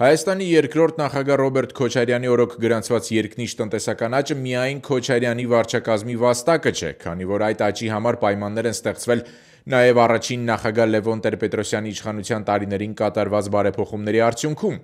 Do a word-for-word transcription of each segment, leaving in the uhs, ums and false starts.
Հայաստանի երկրորդ նախագահ Ռոբերտ Քոչարյանի օրոք գրանցված երկնիշ տնտեսական աճը միայն Քոչարյանի վարչակազմի վաստակը չէ, քանի որ այդ աճի համար պայմաններ են ստեղծվել նաև առաջին նախագահ Լևոն Տեր-Պետրոսյանի իշխանության տարիներին կատարված բարեփոխումների արդյունքում։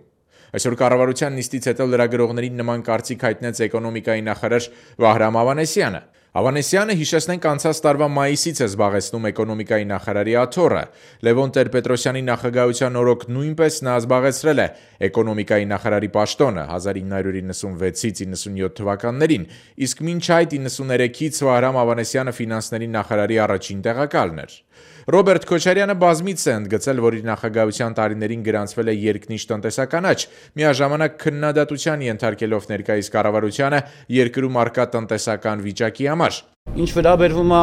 Այսօր կառավարության նիստից հետո լրագրողներին նման կարծիք հայտնեց էկոնոմիկայի նախարար Վահրամ Ավանեսյանը։ Ավանեսյանը, հիշեցնենք, անցած տարվա մայիսից է զբաղեցնում էկոնոմիկայի նախարարի աթոռը։ Լևոն Տեր-Պետրոսյանի նախագահության օրոք նույնպես նա զբաղեցրել է էկոնոմիկայի նախարարի պաշտոնը հազար ինը հարյուր իննսունվեցից իննսունյոթ թվականներին, իսկ մինչ այդ իննսուներեքից Վահրամ Ավանեսյանը ֆինանսների նախարարի առաջին տեղակալն էր։ Ռոբերտ Քոչարյանը բազմիցս է ընդգծել, որ իր նախագահության տարիներին գրանցվել է երկնիշ տնտեսական աճ, միաժամանակ քննադատության ենթարկելով ներկայիս կառավարությանը երկրում առկա տնտեսական վիճակի համար։ Ինչ վերաբերվում է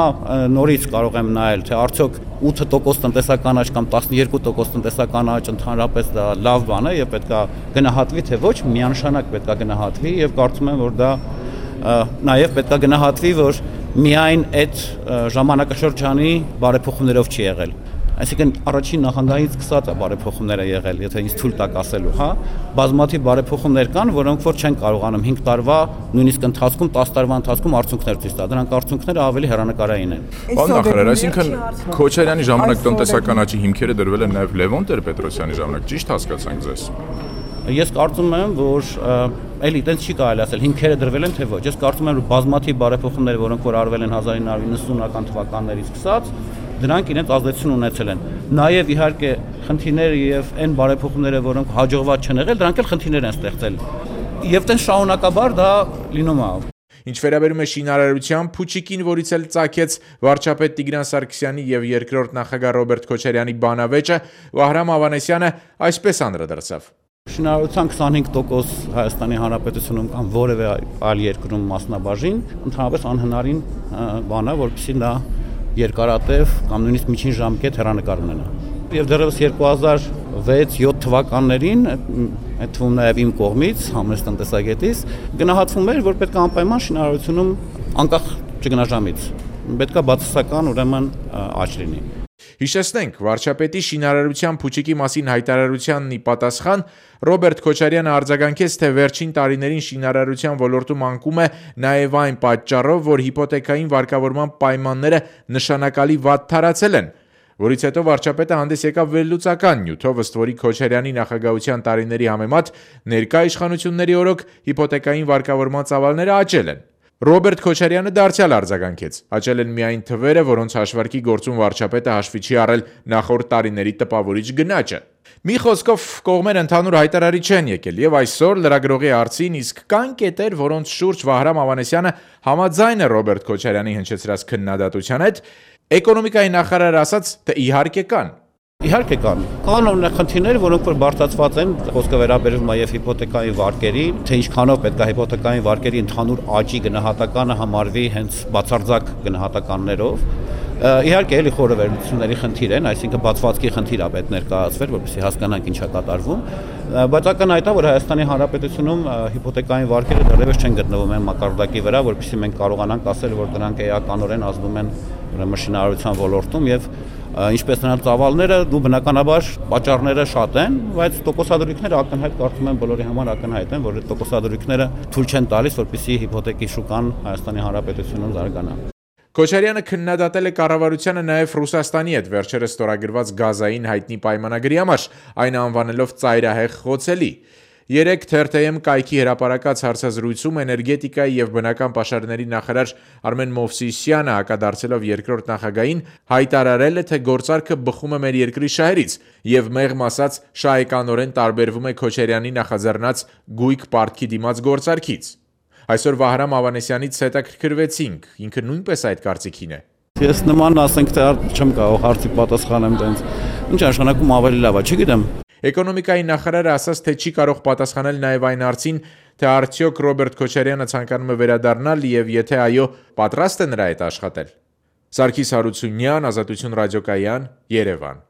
նորից կարող եմ նայել, թե արդյոք ութ տոկոս տնտեսական աճ կամ տասնյոթ տոկոս տնտեսական աճ ընդհանրապես դա լավ բան է եւ պետք է գնահատվի, թե ոչ, միանշանակ պետք է գնահատվի եւ կարծում եմ, որ դա նաեւ պետք է գնահատվի, որ միայն այդ ժամանակաշրջանի բարեփոխումներով չի եղել։ Այսինքն առաջին նախագահից սկսած է բարեփոխումները եղել, եթե ինձ թույլ տաք ասելու, հա, բազմաթիվ բարեփոխումներ կան, որոնք որ չեն կարողանում հինգ տարվա, նույնիսկ ընթացքում տասը տարվա ընթացքում արդյունքներ ցույց տալ։ Դրանք արդյունքները ավելի հեռանկարային են։ Պարոն նախարար, այսինքն Քոչարյանի ժամանակ տնտեսական աճի հիմքերը դրվել են նաև Լևոն Տեր-Պետրոսյանի ժամանակ, ճիշտ հասկացանք ձեզ։ Ես կարծում եմ, որ էլի այդպես չի կարելի ասել, հիմքերը դրվել են թե ոչ։ Ես կարծում եմ, որ բազմաթիվ բարեփոխումներ, որոնք որ արվել են հազար ինը հարյուր իննսունական թվականներից սկսած, դրանք իրենց ազդեցություն ունեցել են։ Նաև իհարկե խնդիրները եւ այն բարեփոխումները, որոնք հաջողված չեն եղել, դրանք էլ խնդիրներ են ստեղծել։ Եվ տեն շարունակաբար դա լինում է։ Ինչ վերաբերում է շինարարության փուչիկին, որից էլ ծագեց վարչապետ Տիգրան Սարգսյանի եւ երկրորդ նախագահ Ռոբերտ Քոչարյանի բանավեճը, Վահրամ Ավանեսյանը այսպես անդրադարձավ։ Շինարարության քսանհինգ տոկոս Հայաստանի Հանրապետությունում կամ որևէ այլ երկրում մասնաբաժին ընդհանրապես անհնարին բան է, որպեսզի նա երկարատև կամ նույնիսկ միջին ժամկետ հեռանկար ունենա։ Եվ դեռևս երկու հազար վեց յոթ թվականներին, այդ թվում նաև իմ կողմից, համեստ տնտեսագետից, գնահատվում էր, որ պետք է անպայման շինարարությունում անկախ ճգնաժամից պետք է բացասական ուրեմն աճ լինի։ Հիշեցնենք, վարչապետի շինարարության փուչիկի մասին հայտարարությանն ի պատասխան Ռոբերտ Քոչարյանը արձագանքեց, թե վերջին տարիներին շինարարության ոլորտում անկում է նաև այն պատճառով, որ հիպոթեկային վարկավորման պայմանները նշանակալի վատ թարացել են, որից հետո վարչապետը հանդես եկավ վերլուծական նյութով, ըստ որի Քոչարյանի նախագահության տարիների համեմատ ներկա իշխանությունների օրոք հիպոթեկային վարկավորման ծավալները աճել են։ Ռոբերտ Քոչարյանը դարձյալ արձագանքեց, աճել են միայն թվերը, որոնց հաշվարկի գործում վարչապետը հաշվի չի առել նախորդ տարիների տպավորիչ գնաճը։ Մի խոսքով կողմերը ընդհանուր հայտարարի չեն եկել եւ այսօր լրագրողի հարցին իսկ կան կետեր, որոնց շուրջ Վահրամ Ավանեսյանը համաձայն է Ռոբերտ Քոչարյանի հնչեցրած քննադատության հետ, էկոնոմիկայի նախարարը ասաց, թե իհարկե կան։ Իհարկե կան։ Կան օրինակ խնդիրներ, որոնք որ բարձրացված են, խոսքը վերաբերվում է եւ հիպոթեկային վարկերի, թե ինչքանով պետք է հիպոթեկային վարկերի ընդհանուր աճի գնահատականը համարվի հենց բացարձակ գնահատականներով։ Իհարկե էլի խորը վերլուծությունների խնդիր են, այսինքն բացվածքի խնդիր է պետք ներկայացվել, որպեսզի հասկանանք ինչ է կատարվում, բայց ակնհայտ է, որ Հայաստանի Հանրապետությունում հիպոթեկային վարկերը դեռևս չեն գտնվում այն մակարդակի վրա, որպեսզի մենք կարողանանք ասել, որ դրանք էականորեն ազդում են ուրեմն շինարարության ոլորտում եւ ինչպես նրանց ծավալները, դու բնականաբար պատճառները շատ են, բայց տոկոսադրույքները ակնհայտ կարծում եմ բոլորի համար ակնհայտ են, որ այդ տոկոսադրույքները թույլ չեն տալիս, որպեսզի հիպոթեկի շուկան Հայաստանի Հանրապետությունում զարգանա։ Քոչարյանը քննադատել է կառավարությանը նաև Ռուսաստանի հետ վերջերս ստորագրված գազային հայտնի պայմանագրի համար, այն անվանելով ծայրահեղ խոցելի։ Երեկ Թերթեյեմ կայքի հրապարակած հարցազրույցում էներգետիկայի եւ բնական պաշարների նախարար Արմեն Մովսիսյանը հակադարձելով երկրորդ նախագահին հայտարարել է, թե գործարքը բխում է մեր երկրի շահերից եւ մեղմ ասած շահեկանորեն տարբերվում է Քոչարյանի նախաձեռնած գույք պարտքի դիմաց գործարքից։ Այսօր Վահրամ Ավանեսյանից հետաքրքրվեցինք, ինքը նույնպես այդ կարծիքին է։ Ես նման ասենք, թե չեմ կարող հարցի պատասխանեմ տենց։ Ինչ աշխատանքում ավելի լավ է, չգիտեմ։ Էկոնոմիկայի նախարարը ասաց, թե չի կարող պատասխանել նաև այն հարցին, թե արդյոք Ռոբերտ Քոչարյանը ցանկանում է վերադառնալ եւ եթե այո, պատրաստ է նրա հետ աշխատել։ Սարգիս Հարությունյան, Ազատություն ռադիոկայան, Երևան։